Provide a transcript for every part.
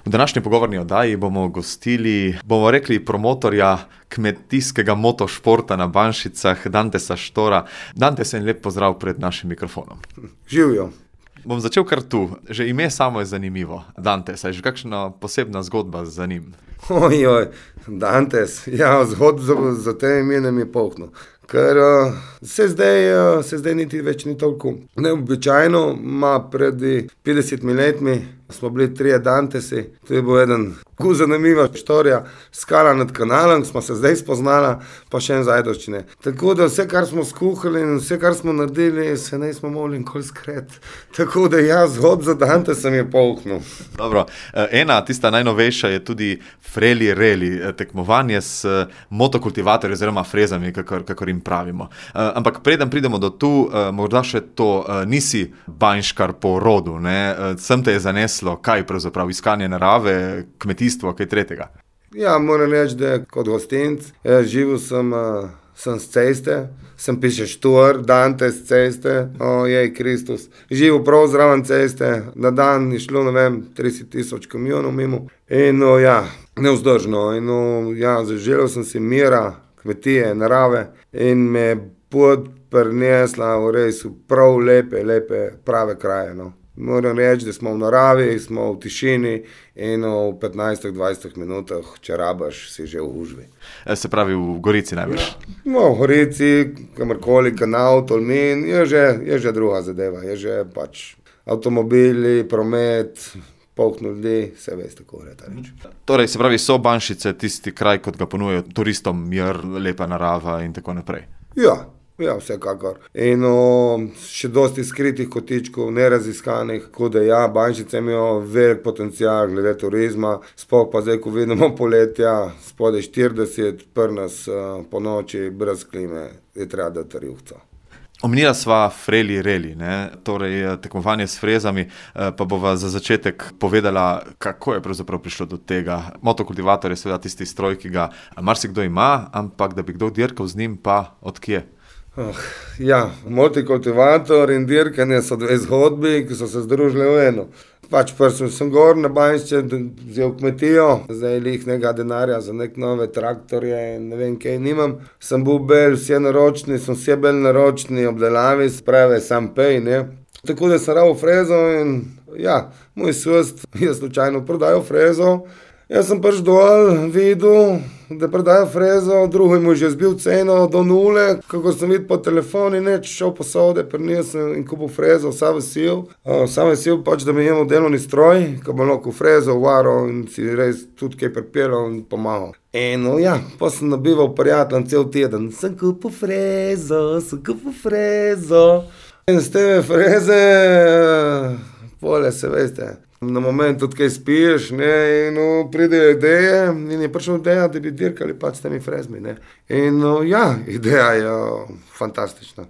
V današnji pogovorni oddaji bomo gostili, bomo rekli, promotorja kmetijskega motošporta na Banšicah, Dantesa Štora. Dantes, en lep pozdrav pred našim mikrofonom. Živijo. Bom začel kar tu. Že ime samo je zanimivo. Dantes, je že kakšna posebna zgodba za njim? Ojoj, Dantes, ja, zgodb za tem imenem je polno. Ker se zdaj niti več ni toliko neobičajno, pred 50 letmi smo bili 3 Dantesi, to je bil eden zanimiva štorija, skala nad kanalom, smo se zdaj spoznala, pa še en Zajdoščine. Tako da vse, kar smo skuhali in vse, kar smo naredili, se ne smo mogli nikoli skret. Tako da ja, zgodb za Dantesem je polknil. Dobro, ena, tista najnovejša je tudi Freli Reli, tekmovanje s motokultivatorji oziroma frezami, kakor jim pravimo. Ampak preden pridemo do tu, morda še to, nisi banjškar po rodu, ne? Sem te je zaneslo, kaj pravzaprav, iskanje narave, kmetijstvo, kaj tretjega? Ja, moram reči, da kot gostinc, živel sem s ceste, sem piše Štor, Dantes ceste, ojej Kristus. Živel prav zraven ceste, na dan je šlo, 30,000 kamionov mimo. In ja, nevzdržno. In ja, zaželel sem si mira, kmetije, narave in me pot prinesla v res prav lepe, prave kraje, no. Moram reči, da smo v naravi, smo v tišini in v 15-20 minutah, če rabaš, si že v gužvi. Se pravi v Gorici najbrž? No, v Gorici, kamorkoli, Kanal, Tolmin, je že druga zadeva, je že pač avtomobili, promet, polk ljudi, vse veste, kako je ta reč. Torej, se pravi, so Banšice tisti kraj, kot ga ponujajo turistom, mir, lepa narava in tako naprej? Ja, vsekakor. In še dosti skritih kotičkov, neraziskanih, tako da ja, Banšice imajo velik potencial glede turizma, sploh pa zdaj, ko vidimo poletja, spodaj 40, pri nas po noči, brez klime, je treba dati rjuhca. Omenila sva Freli Reli, ne? Torej tekmovanje s frezami, pa bova za začetek povedala, kako je pravzaprav prišlo do tega. Motokultivator je seveda tisti stroj, ki ga marsikdo ima, ampak da bi kdo dirkal z njim, pa od kje? Ja, motokultivator in dirkanje so dve zgodbi, ki so se združile v eno. Pač prvi sem gor na Banjšče, vzel kmetijo, zdaj nekega denarja za nek nove traktorje in ne vem kaj nimam. Sem bil bel, vse naročni, sem vse bel naročni obdelavi, sprave sam pej, ne. Tako da sem rabo frezo in ja, moj sost je slučajno prodajal frezo. Jaz sem pač dol videl, da prodajo frezo, drugi mu je že zbil ceno do 0, kako sem videl po telefonu, neč šel po sode, prinesel in kupil frezo, vsa vesil pač, da mi imamo delovni stroj, ko bo lahko frezo uvaro in si res tudi kaj pripeljal in pomagal. In ja, pa sem nabival prijateljem cel teden, sem kupil frezo. In z te freze, pole se veste, na moment tudi kaj spiješ, ne, in pridejo ideje in je prišla ideja, da bi dirkali pač s temi frezmi, ne. In ja, ideja je fantastična.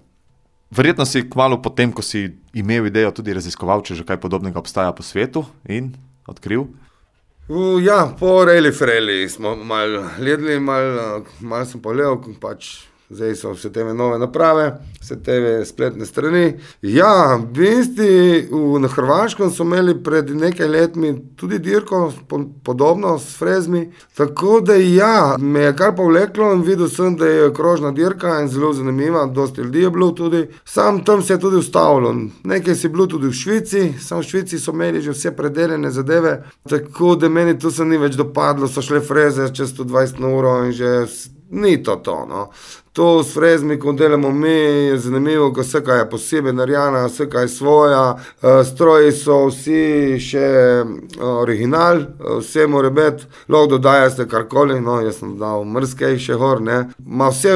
Verjetno si kmalu potem, ko si imel idejo, tudi raziskoval, če že kaj podobnega obstaja po svetu in odkril? Ja, po Reli Freli smo malo gledali, malo sem pogledal, pač zdaj so vse te nove naprave, vse te spletne strani. Ja, v bistvu na Hrvaškem so imeli pred nekaj letmi tudi dirko podobno s frezmi, tako da ja, me je kar povleklo in videl sem, da je krožna dirka in zelo zanimiva, dosti ljudi je bilo tudi. Sam tam se je tudi ustavilo. Nekaj si bilo tudi v Švici, samo v Švici so imeli že vse predeljene zadeve, tako da meni tu se ni več dopadlo, so šle freze čez 120 na uro in že ni to, no. To s frezmi, ko delamo mi, je zanimivo, ko vse kaj je posebej narejena, vse kaj je svoja, stroji so vsi še original, vse mora biti, lahko dodajaste karkoli, no, jaz sem dal mrskej še gor, ne. Ma vse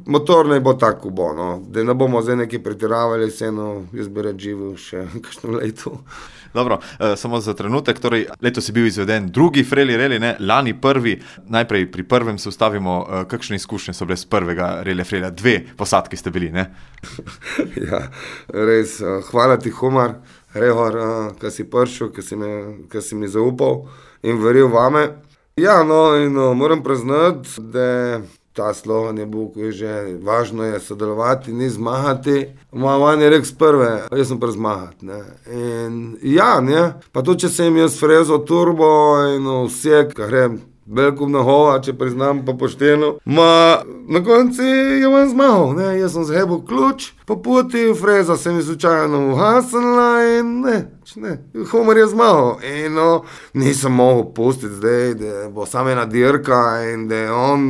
motor ne bo tako bo, no, da ne bomo zdaj nekaj pretiravali, vseeno jaz bi rad živel še kakšno leto. Dobro, samo za trenutek, torej letos je bil izveden drugi Freli Reli, ne, lani prvi, najprej pri prvem se ustavimo, kakšne izkušnje so bile z prvega Reli Frelija, 2 posadki ste bili, ne? Ja, res, hvala ti Humar, Rehor, ko si prišel, ko si mi zaupal in verjel vame. Ja, no, in moram priznati, da ta slogan je bil, ko je že važno je sodelovati, ni zmagati. Moja je rekel z prve, jaz sem pa zmagati. Ne. In ja, ne, pa tudi če sem jaz frezo turbo in vse, kar grem, veliko nahova, če priznam pa pošteno. Na konci je on zmagal, ne, jaz sem zhebil ključ, po poti freza se mi slučajno uhasnila in ne, humor je zmagal. In nisem mogel pustiti zdaj, da bo samo ena dirka in da je on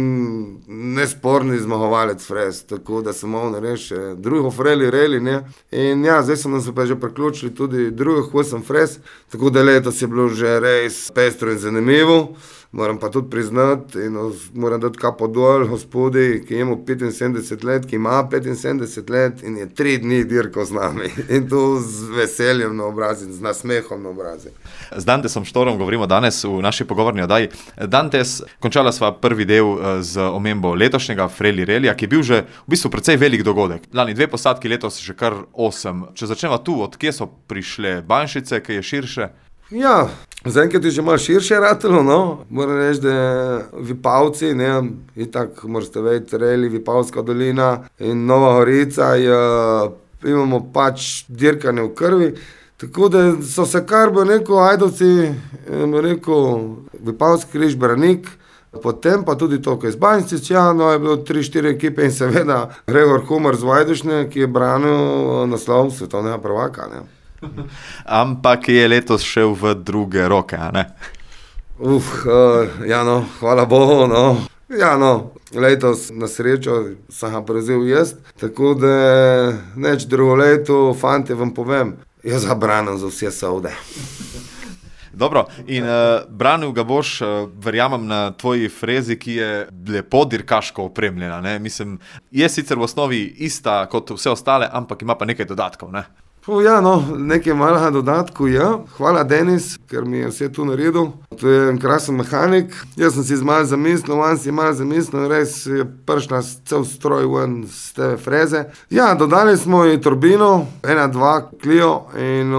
nesporni zmagovalec frez, tako da sem mogel narediti še drugo reli, ne. In ja, zdaj so nam se pa že priključili tudi drugih 8 frez, tako da letos je bilo že res pestro in zanimivo. Moram pa tudi priznati in moram dati kapo dol gospodi, ki ima 75 let, ki ima 75 let in je 3 dni dirkal z nami. In to z veseljem na obrazi, z nasmehom na obrazi. Z Dantesom Štorom govorimo danes v naši pogovorni oddaji. Dantes, končala sva prvi del z omembo letošnjega Freli Relija, ki je bil že v bistvu precej velik dogodek. Lani 2 posadki, letos že kar 8. Če začneva tu, od kje so prišle Banjšice, ki je širše? Ja, zaenkrat je že malo širše ratelo, no. Moram reči, da Vipavci, ne, itak morate vedeti, Reli, Vipavska dolina in Nova Gorica, imamo pač dirkanje v krvi, tako da so se kar, bo rekel, Ajdovci, Vipavski križ, Branik, potem pa tudi to, ko je z Banjščic, ja, no, je bilo 3-4 ekipe in seveda Gregor Humar z Vajdušne, ki je branil naslov svetovnega prvaka, ne. Ampak je letos šel v druge roke, a ne? Ja no, hvala Bogu, no. Ja no, letos na srečo sem ga prevzel jaz, tako da neč drugo leto, fante, vam povem, jaz ga branim za vse sovde. Dobro, in branil ga boš, verjamem, na tvoji frezi, ki je lepo dirkaško opremljena, ne? Mislim, je sicer v osnovi ista kot vse ostale, ampak ima pa nekaj dodatkov, ne? Ja, no, nekaj malega dodatkov je. Hvala, Denis, ker mi je vse tu naredil. To je en krasen mehanik. Jaz sem si malo zamislil, on si malo zamislil, res je prišla cel stroj ven z te freze. Ja, dodali smo ji turbino, 1-2 Clio in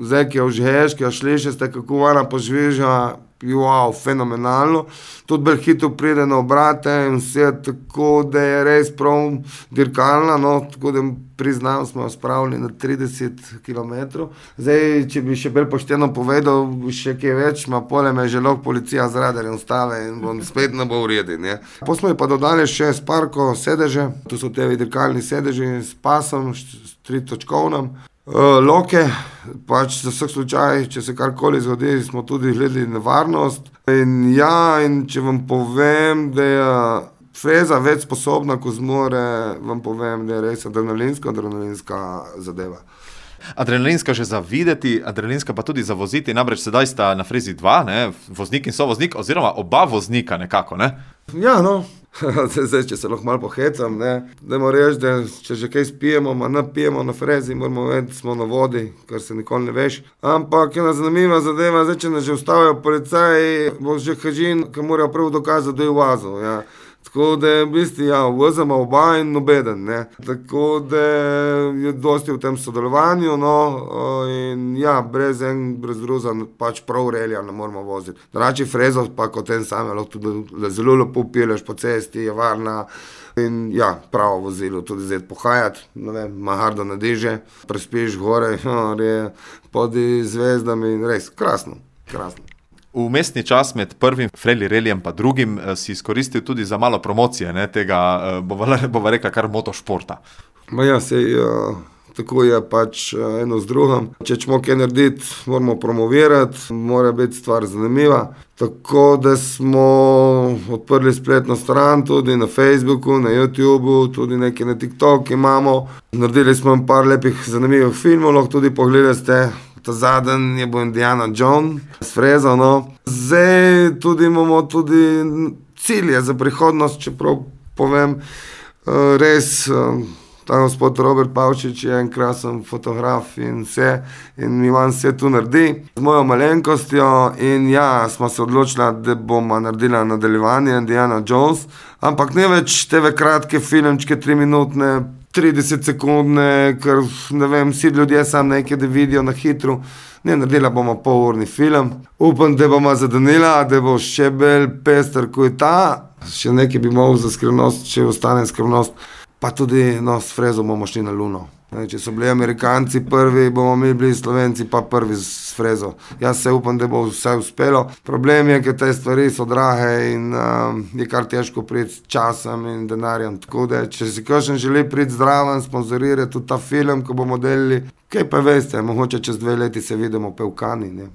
zdaj, ki je v žheški, a šliše ste, kako ona požviža, wow, fenomenalno. Tudi bolj hitro pride na obrate in vse, tako da je res prav dirkalna, no, tako da priznam, smo jo spravili na 30 km. Zdaj, če bi še bolj pošteno povedal, še kaj več, pole me že lahko policija z radarjem stave in bom spet ne bo v redu, ne. Potem smo ji pa dodali še Sparko sedeže, to so te dirkalni sedeži s pasom, s 3-točkovnem. Loke, pač za vsak slučaj, če se karkoli zgodi, smo tudi gledali nevarnost. In ja, in če vam povem, da je freza več sposobna, ko zmore, vam povem, da je res adrenalinska zadeva. Adrenalinska že za videti, adrenalinska pa tudi za voziti, namreč sedaj sta na frezi 2, ne, voznik in sovoznik, oziroma oba voznika nekako, ne? Ja, no. Zdaj, če se lahko malo pohecam, ne, dajmo reči, da če že kaj spijemo, ne pijemo na frezi, moramo vedeti, smo na vodi, kar se nikoli ne veš. Ampak ena zanimiva zadeva, zdaj, če nas že ustavijo policaji, bo že kažin, ki morajo prvo dokazati, da je vazil, ja. Tako da v bistvu, ja, vozimo oba in nobeden, ne. Tako da je dosti v tem sodelovanju, no, in ja, brez druga, pač prav relija ne moramo voziti. Drugače frezov pa kot en sam, lahko tudi zelo lepo peleš po cesti, je varna in ja, pravo vozilo, tudi zdaj pohajati, ne vem, mahardo na deže, prespiš gore, pod zvezdami in res, krasno, krasno. Vmesni čas med prvim Freli Relijem pa drugim si izkoristil tudi za malo promocije, ne, tega, bova rekla, kar motošporta. Ja, sej, tako je pač eno z drugim. Če ćemo kaj narediti, moramo promovirati, mora biti stvar zanimiva. Tako da smo odprli spletno stran, tudi na Facebooku, na YouTubeu, tudi nekaj na TikTok imamo. Naredili smo par lepih zanimivih filmov, lahko tudi pogledate. Ta zadnji je bil Indiana Jones s frezo, no. Zdaj tudi imamo tudi cilje za prihodnost, čeprav povem, res, ta gospod Robert Pavčič je en krasen fotograf in vse, in Ivan vse tu naredi z mojo malenkostjo in ja, smo se odločili, da bomo naredili nadaljevanje Indiana Jones, ampak ne več teve kratke filmčke, 3-minutne, 30 sekundne, ker ne vem, vsi ljudje sam nekaj, da vidijo na hitro. Ne, naredila bomo polurni film. Upam, da bomo zadanila, da bo še bolj pester, kot je ta. Še nekaj bi mogel za skrivnost, če ostane skrivnost. Pa tudi s frezo bomo šli na Luno. Če so bili Amerikanci prvi, bomo mi bili Slovenci pa prvi s frezo. Jaz se upam, da bo vse uspelo. Problem je, ker te stvari so drage in je kar težko priti s časom in denarjem. Tako da, če si kakšen želi priti zdraven, sponzorirati tudi ta film, ko bomo delili, kaj pa veste, mogoče čez 2 leti se vidimo pe v Kani, ne.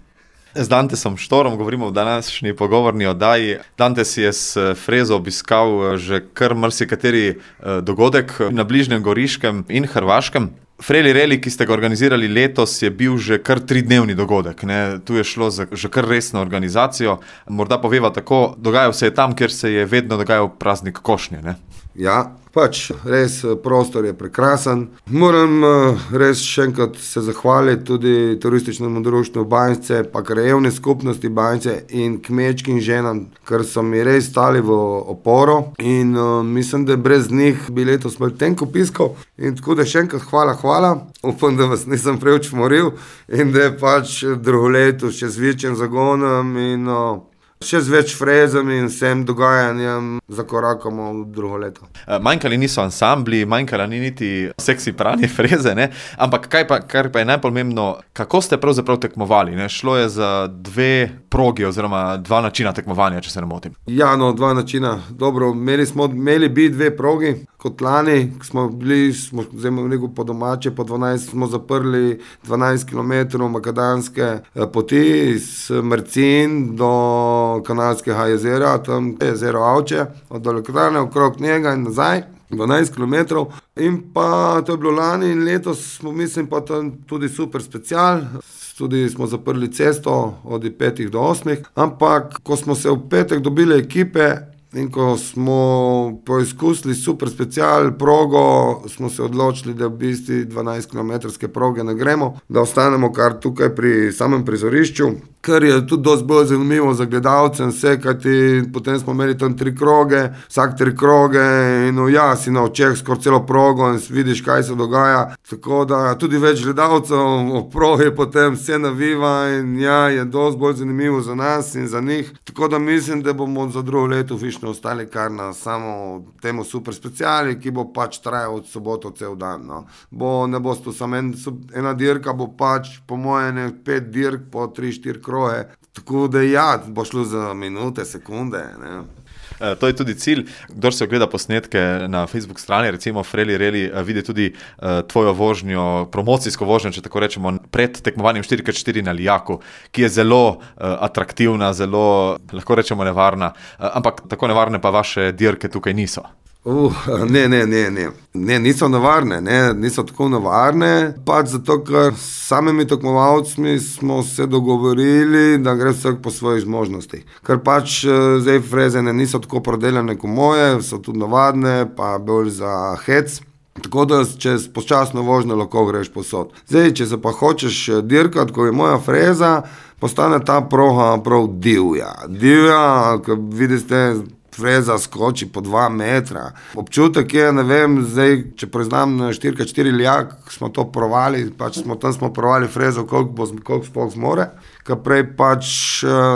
Z Dantesom Štorom govorimo v današnji pogovorni oddaji. Dantes je s frezo obiskal že kar marsikateri dogodek na bližnjem Goriškem in Hrvaškem. Freli Reli, ki ste ga organizirali letos, je bil že kar 3-dnevni dogodek. Ne? Tu je šlo za že kar resno organizacijo. Morda poveva tako, dogajal se je tam, kjer se je vedno dogajal praznik košnje, ne? Ja, pač res prostor je prekrasen. Moram res še enkrat se zahvaliti tudi turističnemu društvu Banjce, pa krajevni skupnosti Banjce in kmečkim ženam, ker so mi res stali v oporo in mislim, da brez njih bi letos imel tenko piskov. In tako da še enkrat hvala. Upam, da vas nisem preveč moril in da je pač drugo leto še z večjim zagonom in še z več frezami in vsem dogajanjem zakorakamo v drugo leto. Manjkali niso ansambli, manjkala ni niti seksi pranje freze, ne? Ampak kar pa je najpomembno, kako ste pravzaprav tekmovali, ne? Šlo je za 2 progi oziroma 2 načina tekmovanja, če se ne motim. Ja, 2 načina. Dobro, imeli bi 2 progi, kot lani, smo po domače, po 12 smo zaprli 12 km makadamske poti iz Mercin do Kanalskega jezera, tam je jezero Avče, od elektrarne okrog njega in nazaj, 12 km. In pa to je bilo lani in letos smo, mislim, pa tam tudi super special. Tudi smo zaprli cesto od 5 do 8, ampak ko smo se v petek dobili ekipe in ko smo poizkusili super special progo, smo se odločili, da v bistvu 12 km proge ne gremo, da ostanemo kar tukaj pri samem prizorišču, kar je tudi dosti bolj zanimivo za gledalce in vse, kajti potem smo imeli tam 3 kroge, vsak 3 kroge in si na očeh skoraj celo progo in vidiš, kaj se dogaja. Tako da tudi več gledalcev o progi potem vse naviva in je dosti bolj zanimivo za nas in za njih. Tako da mislim, da bomo za drugo leto fišno ostali kar na samo temu super speciali, ki bo pač trajal od soboto cel dan. No. Ne bo to samo ena dirka, bo pač po moje 5 dirk po 3-4 kroge. Tako da bo šlo za minute, sekunde, ne. To je tudi cilj. Kdor se ogleda posnetke na Facebook strani, recimo Freli Reli, vidi tudi tvojo vožnjo, promocijsko vožnjo, če tako rečemo, pred tekmovanjem 4x4 na Lijaku, ki je zelo atraktivna, zelo, lahko rečemo, nevarna, ampak tako nevarne pa vaše dirke tukaj niso. Ne, niso nevarne, niso tako nevarne, pač zato, ker s samimi tekmovalci smo se dogovorili, da gre vsak po svojih zmožnostih. Ker pač zdaj frezene niso tako prodelane kot moje, so tudi navadne, pa bolj za hec. Tako da, če s počasno vožnjo lahko greš posod. Zdaj, če se pa hočeš dirkati, ko je moja freza, postane ta proga prav divja. Divja, ko vidite, freza skoči po 2 metra. Občutek je, ne vem, zdaj, če priznam na 4x4 Lijak, smo to provali, pač smo provali frezo, koliko sploh zmore, ker prej pač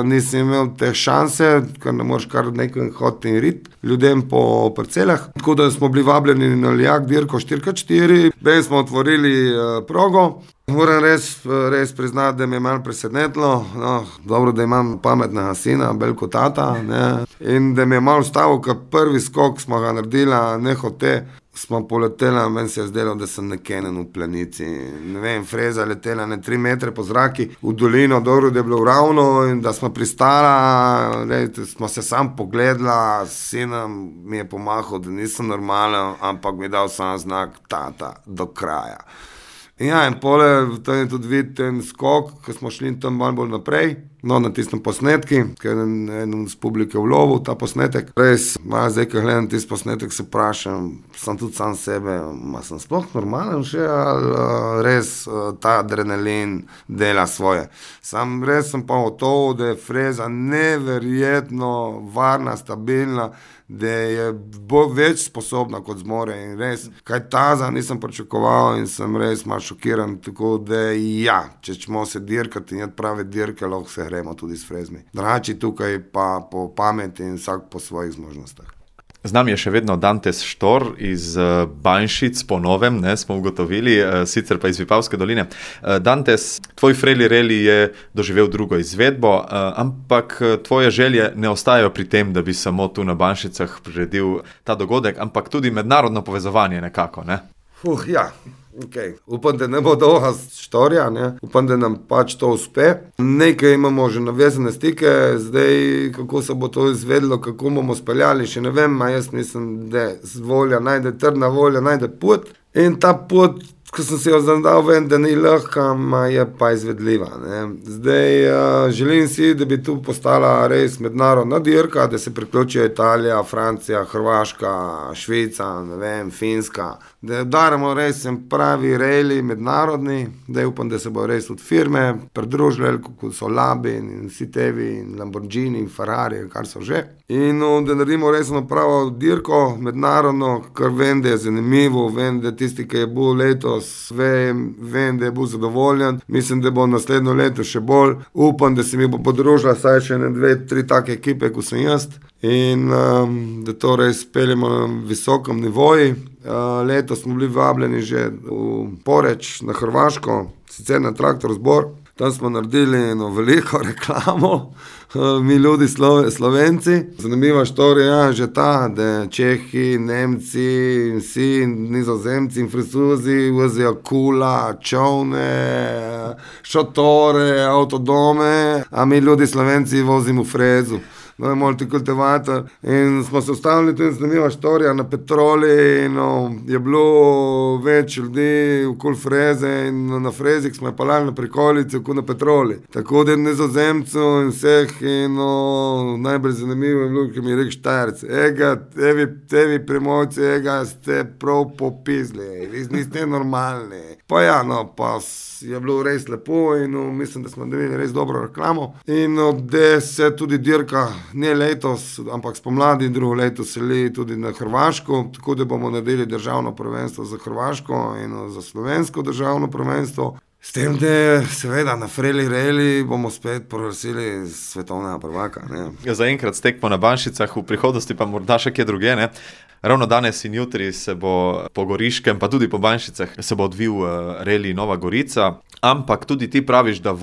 nisem imel te šanse, ker ne moreš kar nekaj hoditi in rit ljudem po parcelah. Tako da smo bili vabljeni na Lijak dirko 4x4, bej smo otvorili progo. Moram res priznati, da me je malo presenetilo, dobro, da imam pametnega sina, veliko tata, ne, in da me je malo stavil, ker prvi skok smo ga naredila, nehote, smo poletela, meni se je zdelo, da sem nekenen v planici, ne vem, freza letela 3 metre po zraki, v dolino, dobro, da je bilo ravno in da smo pristala, smo se sam pogledala, sinom mi je pomahal, da nisem normalen, ampak mi je dal sam znak, tata, do kraja. In pole, tam je tudi videti ten skok, ko smo šli tam malo bolj naprej. No, na tistem posnetki, ker je eden z publike vlovil ta posnetek. Res, zdaj, ko gledam tisti posnetek, se vprašam, sem tudi sam sebe, sem sploh normalen še, ali res ta adrenalin dela svoje. Res sem pa gotov, da je freza neverjetno varna, stabilna, da je več sposobna kot zmore in res, kaj taza nisem pričakoval in sem res malo šokiran, tako da ja, če ćemo se dirkati in jed prave dirke, lahko se gremo tudi s frezmi. Drugače tukaj pa po pameti in vsak po svojih zmožnostih. Z nami je še vedno Dantes Štor iz Banjšic, po novem, smo ugotovili, sicer pa iz Vipavske doline. Dantes, tvoj Freli Reli je doživel drugo izvedbo, ampak tvoje želje ne ostajajo pri tem, da bi samo tu na Banjšicah priredil ta dogodek, ampak tudi mednarodno povezovanje nekako, ne? Ja. Okay. Upam, da ne bo dolga štorija, upam, da nam pač to uspe. Nekaj imamo že navezane stike, zdaj kako se bo to izvedlo, kako bomo speljali, še ne vem, jaz mislim, da volja najde, trdna volja najde pot in ta pot, ko sem se jo zadal, vem, da ni lahka, je pa izvedljiva. Zdaj želim si, da bi tu postala res mednarodna dirka, da se priključijo Italija, Francija, Hrvaška, Švica, ne vem, Finska, da udaramo res pravi reli mednarodni, da upam, da se bo res od firme pridružili, kot so Labin in vsi tevi in Lamborghini in Ferrari, kar so že. In da naredimo res pravo dirko mednarodno, kar vem, da je zanimivo, vem, da tisti, ki je bil letos, vem, da je bil zadovoljen, mislim, da bo naslednjo leto še bolj, upam, da se mi bo podružila saj še 2, 3 take ekipe, kot sem jaz in da to res peljemo na visokem nivoju. Letos smo bili vabljeni že v Poreč na Hrvaško, sicer na Traktor zbor, tam smo naredili eno veliko reklamo, mi ljudi Slovenci. Zanimiva štorija že ta, da Čehi, Nemci, vsi Nizozemci in Francozi vozijo kula, čovne, šotore, avtodome, a mi ljudi Slovenci vozimo frezu. No, je multikultivator in smo se ustavili, to je zanimiva štorija, na Petroli in je bilo več ljudi okoli freze in na frezih smo je palali na prikolici okoli na Petroli. Tako da Nizozemcu in vseh in najbolj zanimivo je bilo, ki mi je rekel Štajerc, tevi premojci, ste prav popizli, vi niste normalni. Pa ja, pa je bilo res lepo in mislim, da smo dobili res dobro reklamo in da se tudi dirka ne letos, ampak spomladi drugo leto seli tudi na Hrvaško, tako da bomo naredili državno prvenstvo za Hrvaško in za slovensko državno prvenstvo. S tem, da seveda na Freli Reli bomo spet proglasili svetovnega prvaka. Zaenkrat tekmo na Banjšicah, v prihodnosti pa morda še kje druge, ne? Ravno danes in jutri se bo po Goriškem, pa tudi po Banjšicah, se bo odvil Reli Nova Gorica, ampak tudi ti praviš, da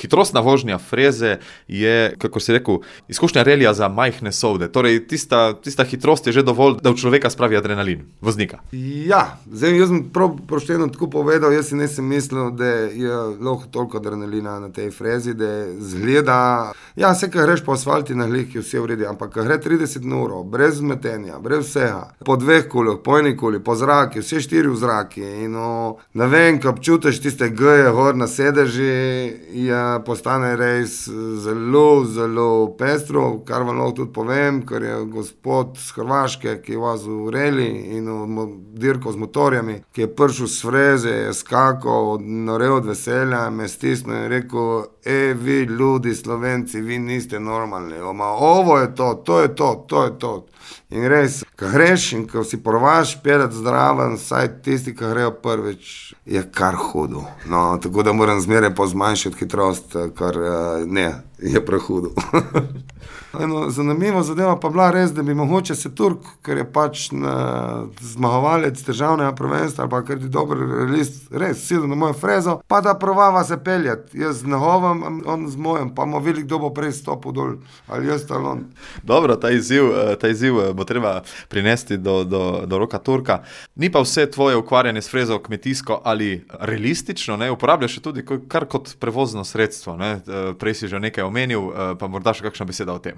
hitrostna vožnja freze je, kako si rekel, izkušnja relija za majhne sovde. Torej, tista hitrost je že dovolj, da v človeka spravi adrenalin, voznika. Ja, zdaj jaz sem prav pošteno tako povedal, jaz si nisem mislil, da je lahko toliko adrenalina na tej frezi, da zgleda, ja, vse, ko greš po asfalti na glih, je vse v redu, ampak ko gre 30 ur, brez metenja, brez vsega, po 2 kulah, po 1 kuli, po zraki, vse 4 v zraki in ne vem, ko občutiš tiste G-je gor na sedeži, postane res zelo, zelo pestro, kar vam lahko tudi povem, ker je gospod z Hrvaške, ki je vozil v Reli in dirko z motorjami, ki je prišel s freze, je skakal, norel od veselja, me stisnil in rekel, vi ljudi Slovenci, vi niste normalni, ovo je to je to. In res, ko greš in ko si provaš pelet zdraven, saj tisti, ki grejo prvič, je kar hudo. No, tako da moram zmeraj pozmanjšati hitrost, kar je prehudo. Zanimivo zadeva pa bila res, da bi mogoče se Turk, ker je pač zmagovalec državnega prvenstva, ali pa ker je dober realist, res sidel na mojo frezo, pa da provava se peljati. Jaz z njegovem, on z mojem, pa bomo videli, kdo bo prej stopil dol, ali jaz ali on. Dobro, ta izziv bo treba prinesti do roka Turka. Ni pa vse tvoje ukvarjanje s frezo kmetijsko ali realistično, uporabljaš tudi kar kot prevozno sredstvo. Prej si že nekaj omenil, pa morda še kakšna beseda beseda o tem.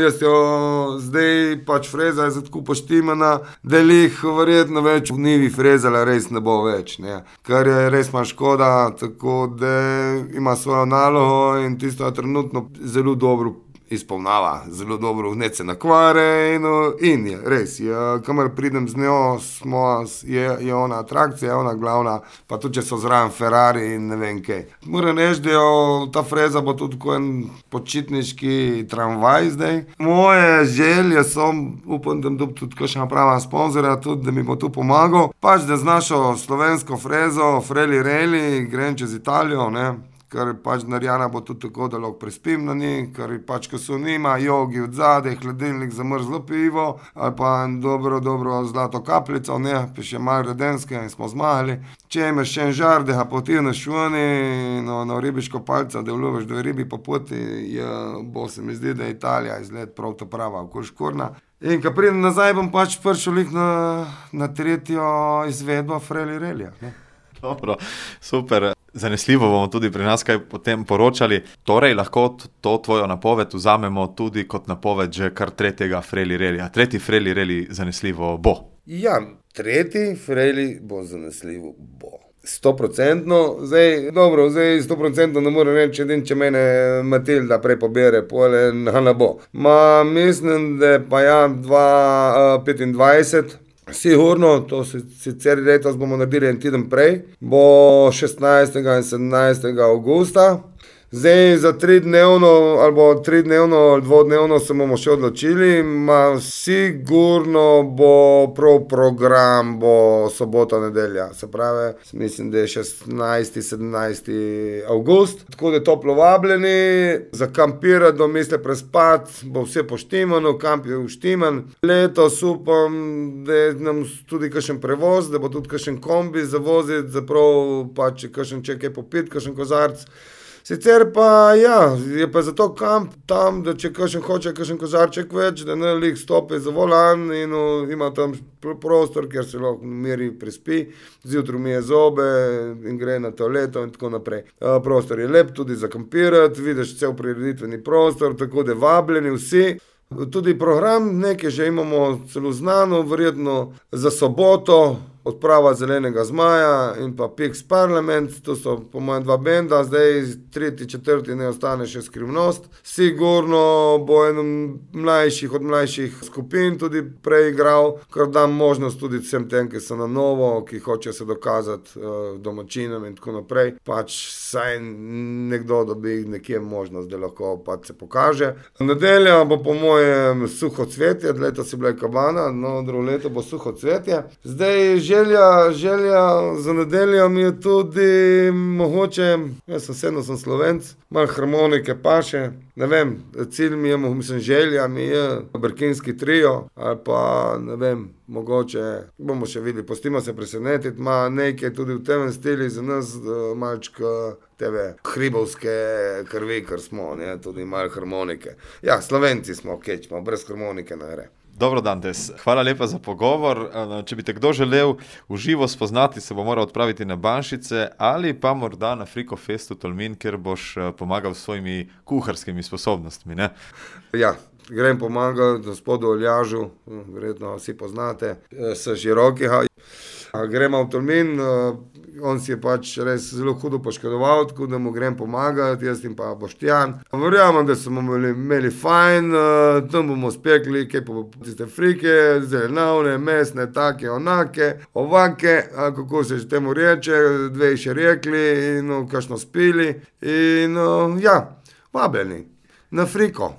Jaz jo zdaj pač freza je tako poštimana, da jih verjetno več v nivi frezala res ne bo več, ne. Kar je res malo škoda, tako da ima svojo nalogo in tisto je trenutno zelo dobro izpolnava, zelo dobro, ne se nakvare in je, res, kamor pridem z njo, je ona atrakcija, je ona glavna, pa tudi če so zraven Ferrari in ne vem kaj. Moram reči, da ta freza bo tudi kot en počitniški tramvaj zdaj. Moje želje so, upam, da dobi tudi kakšna prava sponzorja, tudi da mi bo tu pomagal, pač da z našo slovensko frezo, Freli Reli, grem čez Italijo, ne. Ker pač narejena bo tudi tako, da lahko prespim na njej, ker pač ko so nima, jogi od zadaj, hladilnik za mrzlo pivo, ali pa dobro zlato kapljico, ne, pa še malo redenske in smo zmagali. Če imaš še en žar, da ga potegneš vani, na ribiško palco, da uloviš dve ribi po poti, bo se mi zdi, da je Italija izgled prav ta prava okoljškorna. In ko pridem nazaj, bom pač prišel na tretjo izvedbo Freli Relija, ne. Dobro, super. Zanesljivo bomo tudi pri nas kaj potem poročali. Torej, lahko to tvojo napoved vzamemo tudi kot napoved že kar tretjega Freli Relija. Tretji Freli Reli zanesljivo bo. Ja, tretji Freli bo zanesljivo bo. 100%, zdaj 100% ne morem reči, če mene Matilda prej pobere, pole ne bo. Mislim, da pa 2025, sigurno, to sicer letos bomo naredili en teden prej, bo 16. in 17. avgusta. Zdaj za 3-dnevno ali 2-dnevno se bomo še odločili, sigurno bo prav program, bo sobota, nedelja, se pravi, mislim, da je 16. 17. avgust, tako da toplo vabljeni, za kampirati, domisle prespati, bo vse poštimano, kamp je uštiman. Letos upam, da je nam tudi kakšen prevoz, da bo tudi kakšen kombi zavoziti, zaprav pa če kakšen kaj popiti, kakšen kozarc. Sicer pa je pa zato kamp tam, da če kakšen hoče kakšen kozarček več, da ne lik stopi za volan in ima tam prostor, kjer se lahko miri prespi, zjutraj mije zobe in gre na toaleto in tako naprej. Prostor je lep tudi za kampirati, vidiš cel prireditveni prostor, tako da vabljeni vsi. Tudi program nekaj že imamo celo znano, verjetno za soboto, odprava Zelenega zmaja in pa Pix Parlament, to so po mojem dva benda, zdaj 3., 4. ne ostane še Skrivnost. Sigurno bo en od mlajših skupin tudi preigral, ker dam možnost tudi vsem tem, ki so na novo, ki hoče se dokazati domačinom in tako naprej. Pač saj nekdo dobi nekje možnost, da lahko pač se pokaže. Nedelja bo po mojem suho cvetje, letos je bila kabana, drugo leto bo suho cvetje. Zdaj želja za nedeljo mi je tudi mogoče, jaz sem Slovenc, malo harmonike paše, ne vem, cilj mi je, želja mi je Brkinski trio, ali pa ne vem, mogoče bomo še videli, pustimo se presenetiti, ima nekaj tudi v tem stili za nas, malčka tebe hribovske krvi, ker smo, ne, tudi malo harmonike. Ja, Slovenci smo, kečmo, brez harmonike ne gre. Dobro, Dantes, hvala lepa za pogovor. Če bi te kdo želel v živo spoznati, se bo moral odpraviti na Banšice ali pa morda na Friko Festu Tolmin, kjer boš pomagal s svojimi kuharskimi sposobnostmi, ne? Ja, grem pomagati gospodu Oljažu, verjetno vsi poznate, s Širokega. Gremo v Tolmin, on si je pač res zelo hudo poškodoval, tako da mu grem pomagati, jaz in pa Boštjan. Verjamem, da smo imeli fajn, tam bomo spekli kaj po tiste frike, zelenavne, mesne, take, onake, ovake, kako se že temu reče, dve še rekli in kakšno spili in vabljeni na Friko.